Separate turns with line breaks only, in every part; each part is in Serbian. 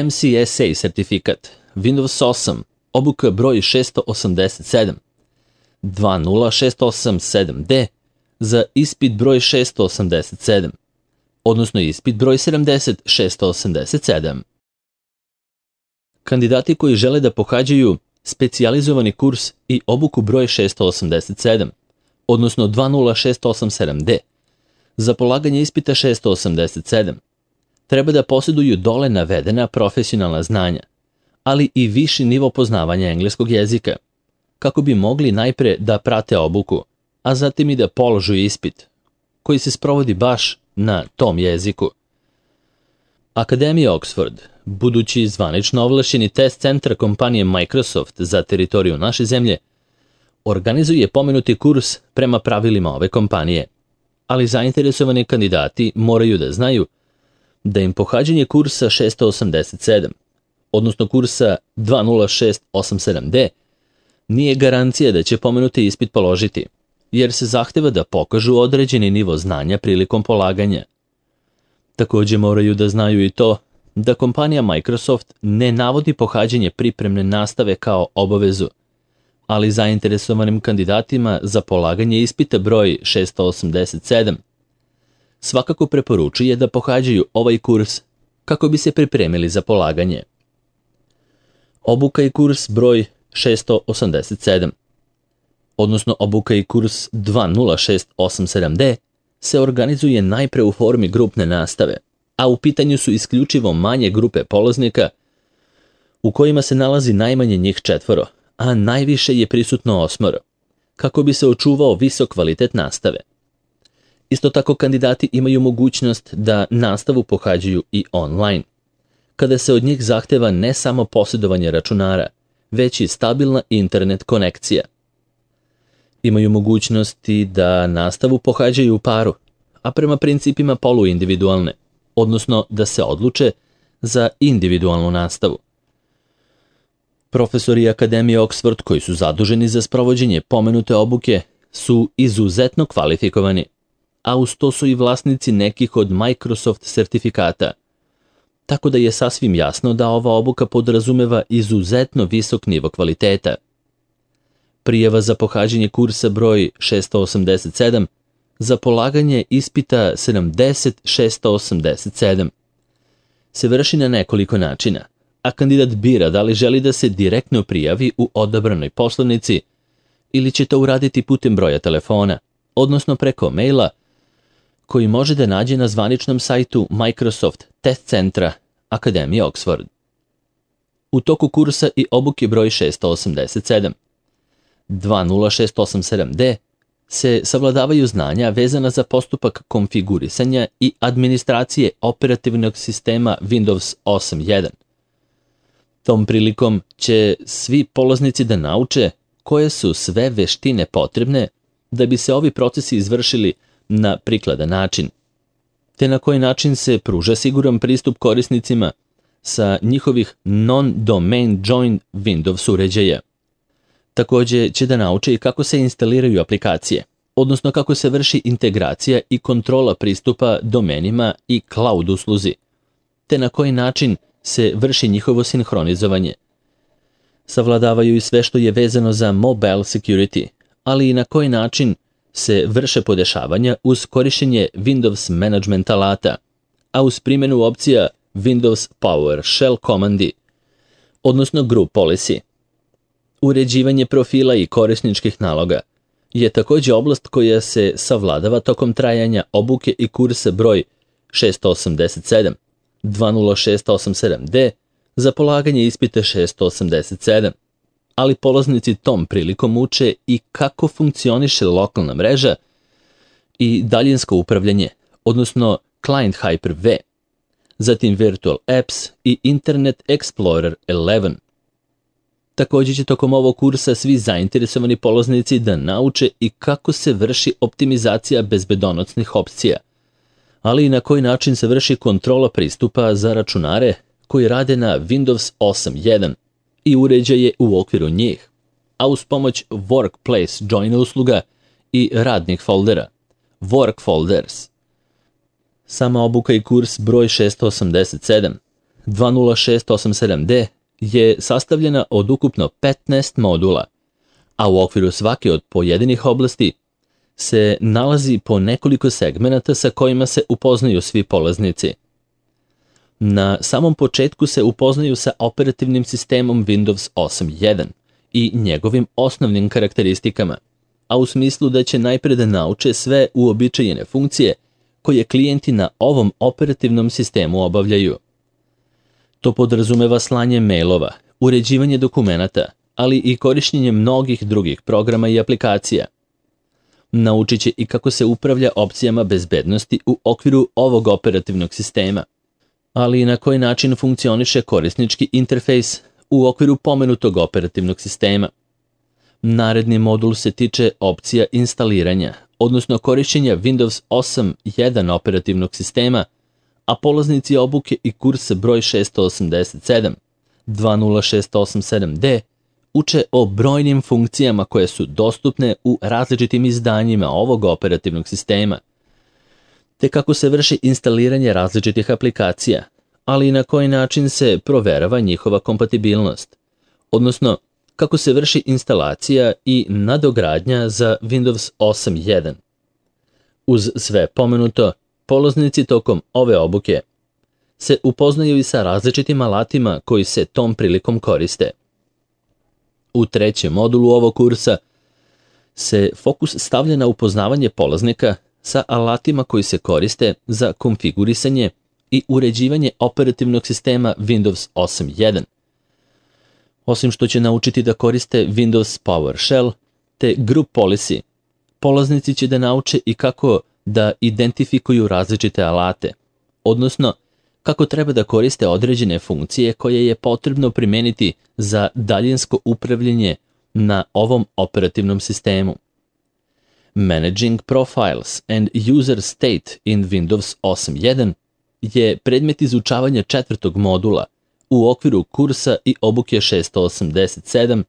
MCSA sertifikat, Windows 8, obuka broj 687, 20687D za ispit broj 687, odnosno ispit broj 70687. Kandidati koji žele da pohađaju specijalizovani kurs i obuku broj 687, odnosno 20687D, za polaganje ispita 687, treba da posjeduju dole navedena profesionalna znanja, ali i viši nivo poznavanja engleskog jezika, kako bi mogli najpre da prate obuku, a zatim i da položu ispit, koji se sprovodi baš na tom jeziku. Akademija Oxford, budući zvanično ovlašćeni test centar kompanije Microsoft za teritoriju naše zemlje, organizuje pomenuti kurs prema pravilima ove kompanije, ali zainteresovani kandidati moraju da znaju da im pohađanje kursa 687, odnosno kursa 20687D, nije garancija da će pomenuti ispit položiti, jer se zahteva da pokažu određeni nivo znanja prilikom polaganja. Također moraju da znaju i to da kompanija Microsoft ne navodi pohađanje pripremne nastave kao obavezu, ali zainteresovanim kandidatima za polaganje ispita broj 687 svakako preporučuje da pohađaju ovaj kurs kako bi se pripremili za polaganje. Obuka i kurs broj 687, odnosno obuka i kurs 20687D, se organizuje najpre u formi grupne nastave, a u pitanju su isključivo manje grupe polaznika u kojima se nalazi najmanje njih 4, a najviše je prisutno 8, kako bi se očuvao visok kvalitet nastave. Isto tako kandidati imaju mogućnost da nastavu pohađaju i online, kada se od njih zahteva ne samo posjedovanje računara, već i stabilna internet konekcija. Imaju mogućnosti da nastavu pohađaju u paru, a prema principima poluindividualne, odnosno da se odluče za individualnu nastavu. Profesori Akademije Oxford koji su zaduženi za sprovođenje pomenute obuke su izuzetno kvalifikovani, a uz to su i vlasnici nekih od Microsoft sertifikata, tako da je sasvim jasno da ova obuka podrazumeva izuzetno visok nivo kvaliteta. Prijava za pohađanje kursa broj 687 za polaganje ispita 70687 se vrši na nekoliko načina, a kandidat bira da li želi da se direktno prijavi u odabranoj poslovnici ili će to uraditi putem broja telefona, odnosno preko maila koji može da nađe na zvaničnom sajtu Microsoft Test Centra Akademije Oxford. U toku kursa i obuke broj 687, 20687D, se savladavaju znanja vezana za postupak konfigurisanja i administracije operativnog sistema Windows 8.1. Tom prilikom će svi polaznici da nauče koje su sve veštine potrebne da bi se ovi procesi izvršili na prikladan način, te na koji način se pruža siguran pristup korisnicima sa njihovih non-domain joined Windows uređaja. Također će da nauče i kako se instaliraju aplikacije, odnosno kako se vrši integracija i kontrola pristupa domenima i cloud usluzi, te na koji način se vrši njihovo sinhronizovanje. Savladavaju i sve što je vezano za mobile security, ali i na koji način se vrše podešavanja uz korištenje Windows management alata, a uz primjenu opcija Windows PowerShell komandi, odnosno group policy. Uređivanje profila i korisničkih naloga je također oblast koja se savladava tokom trajanja obuke i kursa broj 687, 20687D za polaganje ispita 687, ali polaznici tom prilikom uče i kako funkcioniše lokalna mreža i daljinsko upravljanje, odnosno Client Hyper-V, zatim Virtual Apps i Internet Explorer 11. Također će tokom ovog kursa svi zainteresovani polaznici da nauče i kako se vrši optimizacija bezbedonosnih opcija, ali i na koji način se vrši kontrola pristupa za računare koji rade na Windows 8.1 i uređaje u okviru njih, a uz pomoć Workplace Join usluga i radnih foldera, Work Folders. Sama obuka i kurs broj 687 20687D je sastavljena od ukupno 15 modula, a u okviru svake od pojedinih oblasti se nalazi po nekoliko segmenata sa kojima se upoznaju svi polaznici. Na samom početku se upoznaju sa operativnim sistemom Windows 8.1 i njegovim osnovnim karakteristikama, a u smislu da će najpre da nauče sve uobičajene funkcije koje klijenti na ovom operativnom sistemu obavljaju. To podrazumeva slanje mailova, uređivanje dokumenata, ali i korištenje mnogih drugih programa i aplikacija. Naučit će i kako se upravlja opcijama bezbednosti u okviru ovog operativnog sistema, ali i na koji način funkcioniše korisnički interfejs u okviru pomenutog operativnog sistema. Naredni modul se tiče opcija instaliranja, odnosno korišćenja Windows 8.1 operativnog sistema, a polaznici obuke i kursa broj 687, 20687D, uče o brojnim funkcijama koje su dostupne u različitim izdanjima ovog operativnog sistema, te kako se vrši instaliranje različitih aplikacija, ali i na koji način se proverava njihova kompatibilnost, odnosno kako se vrši instalacija i nadogradnja za Windows 8.1. Uz sve pomenuto, polaznici tokom ove obuke se upoznaju i sa različitim alatima koji se tom prilikom koriste. U trećem modulu ovog kursa se fokus stavlja na upoznavanje polaznika sa alatima koji se koriste za konfigurisanje i uređivanje operativnog sistema Windows 8.1. Osim što će naučiti da koriste Windows PowerShell te Group Policy, polaznici će da nauče i kako da identifikuju različite alate, odnosno kako treba da koriste određene funkcije koje je potrebno primeniti za daljinsko upravljanje na ovom operativnom sistemu. Managing Profiles and User State in Windows 8.1 je predmet izučavanja četvrtog modula u okviru kursa i obuke 687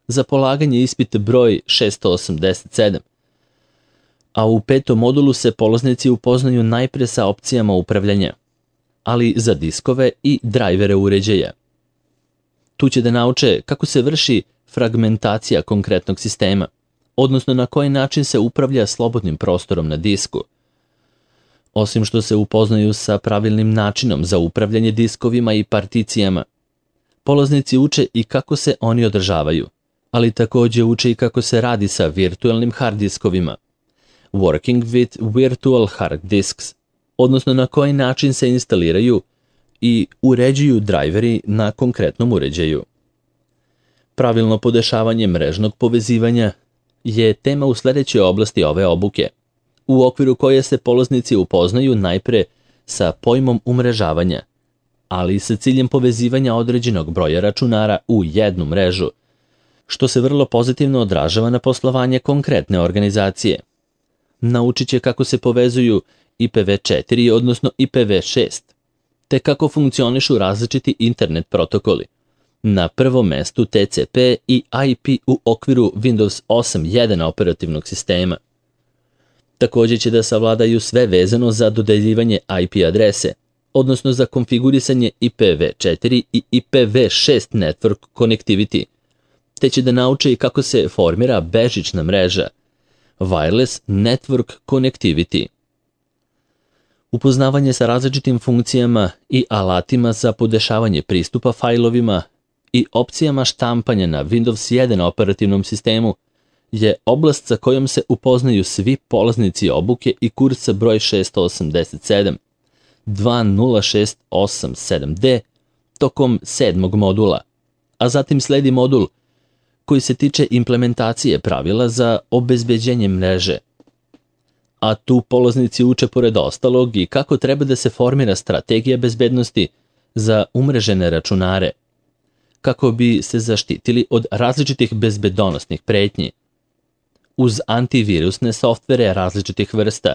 za polaganje ispita broj 687, a u petom modulu se polaznici upoznaju najpre sa opcijama upravljanja, ali za diskove i drajvere uređaja. Tu će da nauče kako se vrši fragmentacija konkretnog sistema, odnosno na koji način se upravlja slobodnim prostorom na disku. Osim što se upoznaju sa pravilnim načinom za upravljanje diskovima i particijama, polaznici uče i kako se oni održavaju, ali također uče i kako se radi sa virtualnim hard diskovima, working with virtual hard disks, odnosno na koji način se instaliraju i uređuju drajveri na konkretnom uređaju. Pravilno podešavanje mrežnog povezivanja je tema u sljedećoj oblasti ove obuke, u okviru koje se polaznici upoznaju najpre sa pojmom umrežavanja, ali i sa ciljem povezivanja određenog broja računara u jednu mrežu, što se vrlo pozitivno odražava na poslovanje konkretne organizacije. Naučit će kako se povezuju IPv4, odnosno IPv6, te kako funkcionišu različiti internet protokoli. Na prvom mestu TCP i IP u okviru Windows 8.1 operativnog sistema. Također će da savladaju sve vezano za dodeljivanje IP adrese, odnosno za konfigurisanje IPv4 i IPv6 network connectivity, te će da nauče i kako se formira bežična mreža, wireless network connectivity. Upoznavanje sa različitim funkcijama i alatima za podešavanje pristupa fajlovima i opcijama štampanja na Windows 1 operativnom sistemu je oblast sa kojom se upoznaju svi polaznici obuke i kursa broj 687, 20687D tokom 7. modula, a zatim sledi modul koji se tiče implementacije pravila za obezbeđenje mreže. A tu polaznici uče pored ostalog i kako treba da se formira strategija bezbednosti za umrežene računare, kako bi se zaštitili od različitih bezbedonosnih pretnji. Uz antivirusne softvere različitih vrsta,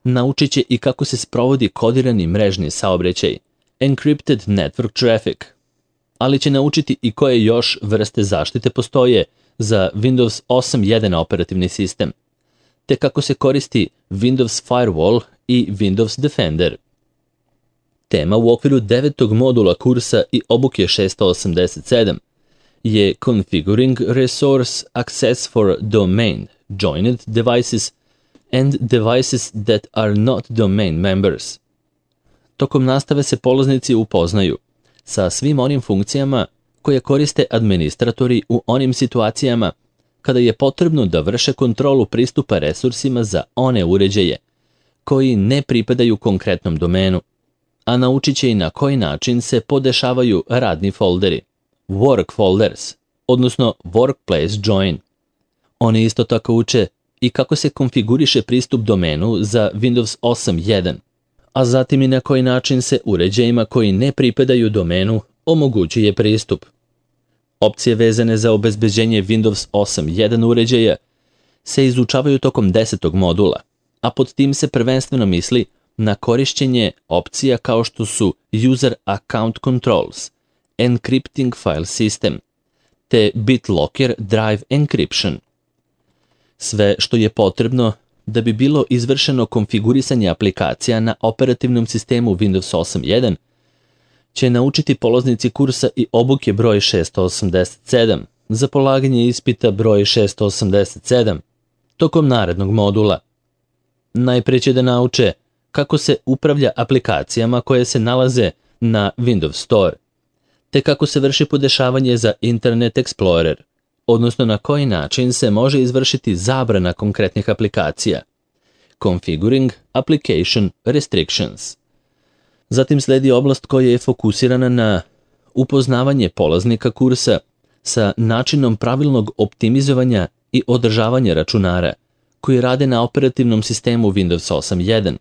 naučit će i kako se sprovodi kodirani mrežni saobraćaj, encrypted network traffic, ali će naučiti i koje još vrste zaštite postoje za Windows 8.1 operativni sistem, te kako se koristi Windows Firewall i Windows Defender. Tema u okviru 9. modula kursa i obuke 687 je Configuring Resource Access for Domain Joined Devices and Devices that are not domain members. Tokom nastave se polaznici upoznaju sa svim onim funkcijama koje koriste administratori u onim situacijama kada je potrebno da vrše kontrolu pristupa resursima za one uređaje koji ne pripadaju konkretnom domenu, a naučit će i na koji način se podešavaju radni folderi, work folders, odnosno workplace join. Oni isto tako uče i kako se konfiguriše pristup domenu za Windows 8.1, a zatim i na koji način se uređajima koji ne pripadaju domenu omogućuje pristup. Opcije vezane za obezbeđenje Windows 8.1 uređaja se izučavaju tokom 10. modula, a pod tim se prvenstveno misli na korišćenje opcija kao što su User Account Controls, Encrypting File System, te BitLocker Drive Encryption. Sve što je potrebno da bi bilo izvršeno konfigurisanje aplikacija na operativnom sistemu Windows 8.1 će naučiti polaznici kursa i obuke broj 687 za polaganje ispita broj 687 tokom narednog modula. Najprije će da nauče kako se upravlja aplikacijama koje se nalaze na Windows Store, te kako se vrši podešavanje za Internet Explorer, odnosno na koji način se može izvršiti zabrana konkretnih aplikacija, Configuring Application Restrictions. Zatim sledi oblast koja je fokusirana na upoznavanje polaznika kursa sa načinom pravilnog optimizovanja i održavanja računara koji rade na operativnom sistemu Windows 8.1,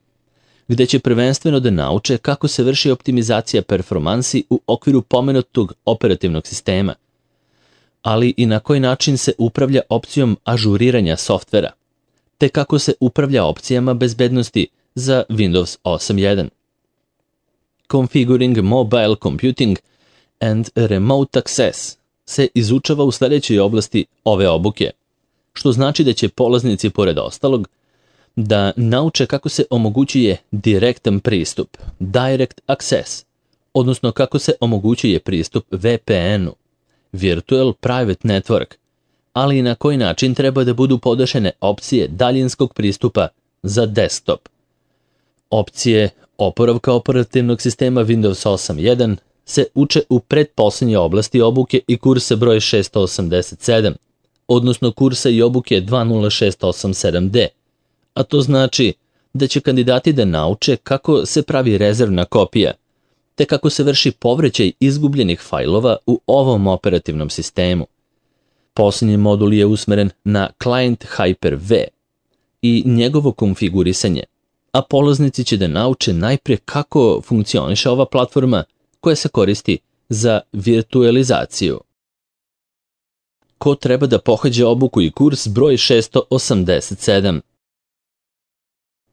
gde će prvenstveno da nauče kako se vrši optimizacija performansi u okviru pomenutog operativnog sistema, ali i na koji način se upravlja opcijom ažuriranja softvera, te kako se upravlja opcijama bezbednosti za Windows 8.1. Configuring Mobile Computing and Remote Access se izučava u sljedećoj oblasti ove obuke, što znači da će polaznici, pored ostalog, da nauče kako se omogućuje direktan pristup, Direct Access, odnosno kako se omogućuje pristup VPN-u, Virtual Private Network, ali i na koji način treba da budu podešene opcije daljinskog pristupa za desktop. Opcije oporavka operativnog sistema Windows 8.1 se uče u pretposlednje oblasti obuke i kursa broj 687, odnosno kursa i obuke 20687D, a to znači da će kandidati da nauče kako se pravi rezervna kopija, te kako se vrši povraćaj izgubljenih fajlova u ovom operativnom sistemu. Posljednji modul je usmeren na Client Hyper-V i njegovo konfigurisanje, a polaznici će da nauče najprije kako funkcioniše ova platforma koja se koristi za virtualizaciju. Ko treba da pohađe obuku i kurs broj 687?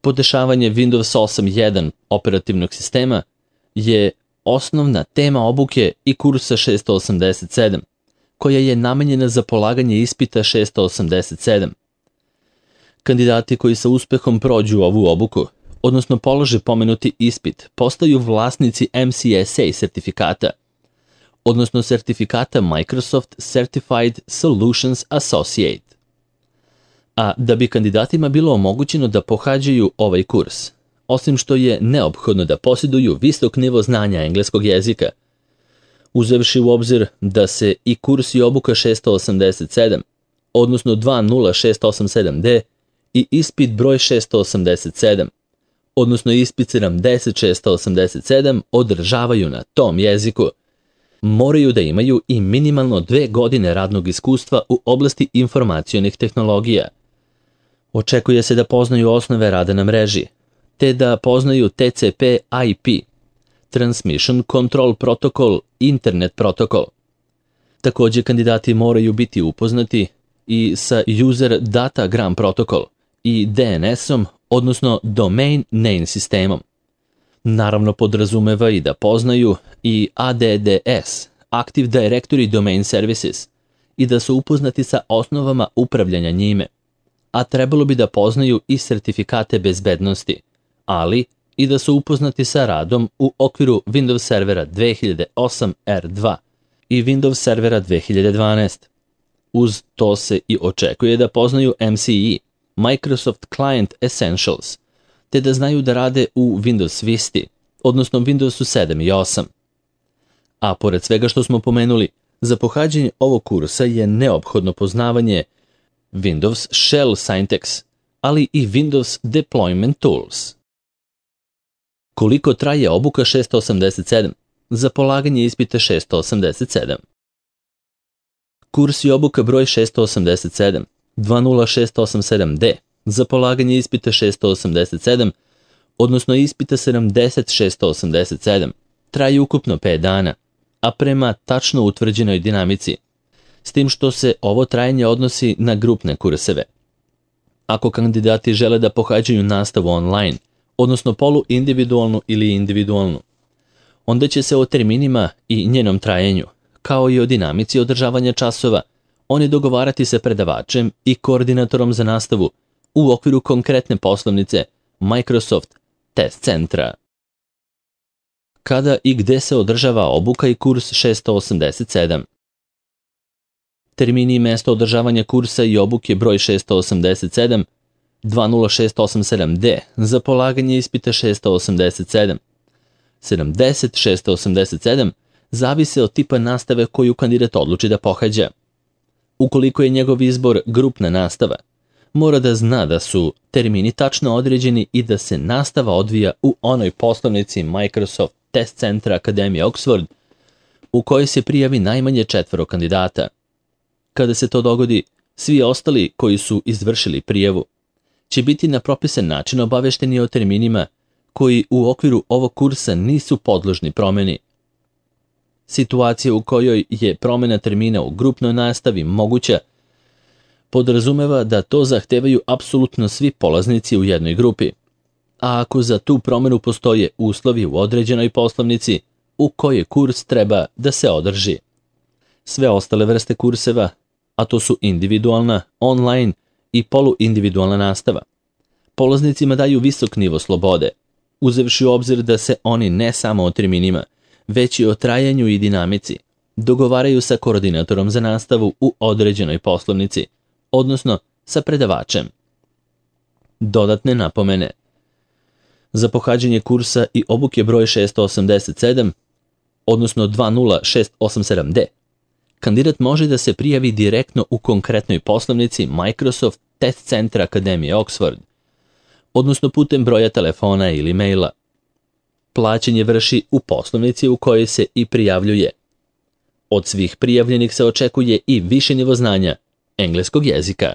Podešavanje Windows 8.1 operativnog sistema je osnovna tema obuke i kursa 687, koja je namenjena za polaganje ispita 687. Kandidati koji sa uspehom prođu ovu obuku, odnosno polože pomenuti ispit, postaju vlasnici MCSA sertifikata, odnosno sertifikata Microsoft Certified Solutions Associate. A da bi kandidatima bilo omogućeno da pohađaju ovaj kurs, osim što je neophodno da posjeduju visok nivo znanja engleskog jezika, uzevši u obzir da se i kurs i obuka 687, odnosno 20687D i ispit broj 687, odnosno ispit 70687 održavaju na tom jeziku, moraju da imaju i minimalno 2 godine radnog iskustva u oblasti informacionih tehnologija. Očekuje se da poznaju osnove rada na mreži, te da poznaju TCP/IP, Transmission Control Protocol, Internet protokol. Također kandidati moraju biti upoznati i sa User Datagram protokol i DNS-om, odnosno Domain Name sistemom. Naravno podrazumeva i da poznaju i ADDS, Active Directory Domain Services, i da su upoznati sa osnovama upravljanja njime, a trebalo bi da poznaju i sertifikate bezbednosti, ali i da su upoznati sa radom u okviru Windows Servera 2008 R2 i Windows Servera 2012. Uz to se i očekuje da poznaju MCE, Microsoft Client Essentials, te da znaju da rade u Windows Visti, odnosno Windowsu 7 i 8. A pored svega što smo pomenuli, za pohađanje ovog kursa je neophodno poznavanje Windows Shell Syntax, ali i Windows Deployment Tools. Koliko traje obuka 687? Za polaganje ispita 687. Kurs i obuka broj 687, 20687D, za polaganje ispita 687, odnosno ispita 70687, traje ukupno 5 dana, a prema tačno utvrđenoj dinamici, s tim što se ovo trajanje odnosi na grupne kurseve. Ako kandidati žele da pohađaju nastavu online, odnosno poluindividualnu ili individualnu, onda će se o terminima i njenom trajanju, kao i o dinamici održavanja časova, oni dogovarati sa predavačem i koordinatorom za nastavu u okviru konkretne poslovnice Microsoft Test Centra. Kada i gde se održava obuka i kurs 687? Termini i mesto održavanja kursa i obuke broj 687, 20687D, za polaganje ispita 687. 70687 zavise od tipa nastave koju kandidat odluči da pohađa. Ukoliko je njegov izbor grupna nastava, mora da zna da su termini tačno određeni i da se nastava odvija u onoj poslovnici Microsoft Test Centra Akademije Oxford, u kojoj se prijavi najmanje 4 kandidata. Kada se to dogodi, svi ostali koji su izvršili prijavu će biti na propisan način obavešteni o terminima koji u okviru ovog kursa nisu podložni promeni. Situacija u kojoj je promena termina u grupnoj nastavi moguća podrazumeva da to zahtevaju apsolutno svi polaznici u jednoj grupi, a ako za tu promenu postoje uslovi u određenoj poslovnici u kojoj kurs treba da se održi. Sve ostale vrste kurseva, a to su individualna, online i poluindividualna nastava, polaznicima daju visok nivo slobode, uzevši u obzir da se oni ne samo o terminima, već i o trajanju i dinamici dogovaraju sa koordinatorom za nastavu u određenoj poslovnici, odnosno sa predavačem. Dodatne napomene. Za pohađanje kursa i obuke broj 687, odnosno 20687D, kandidat može da se prijavi direktno u konkretnoj poslovnici Microsoft Test Centra Akademije Oxford, odnosno putem broja telefona ili maila. Plaćanje vrši u poslovnici u kojoj se i prijavljuje. Od svih prijavljenih se očekuje i više nivo znanja engleskog jezika.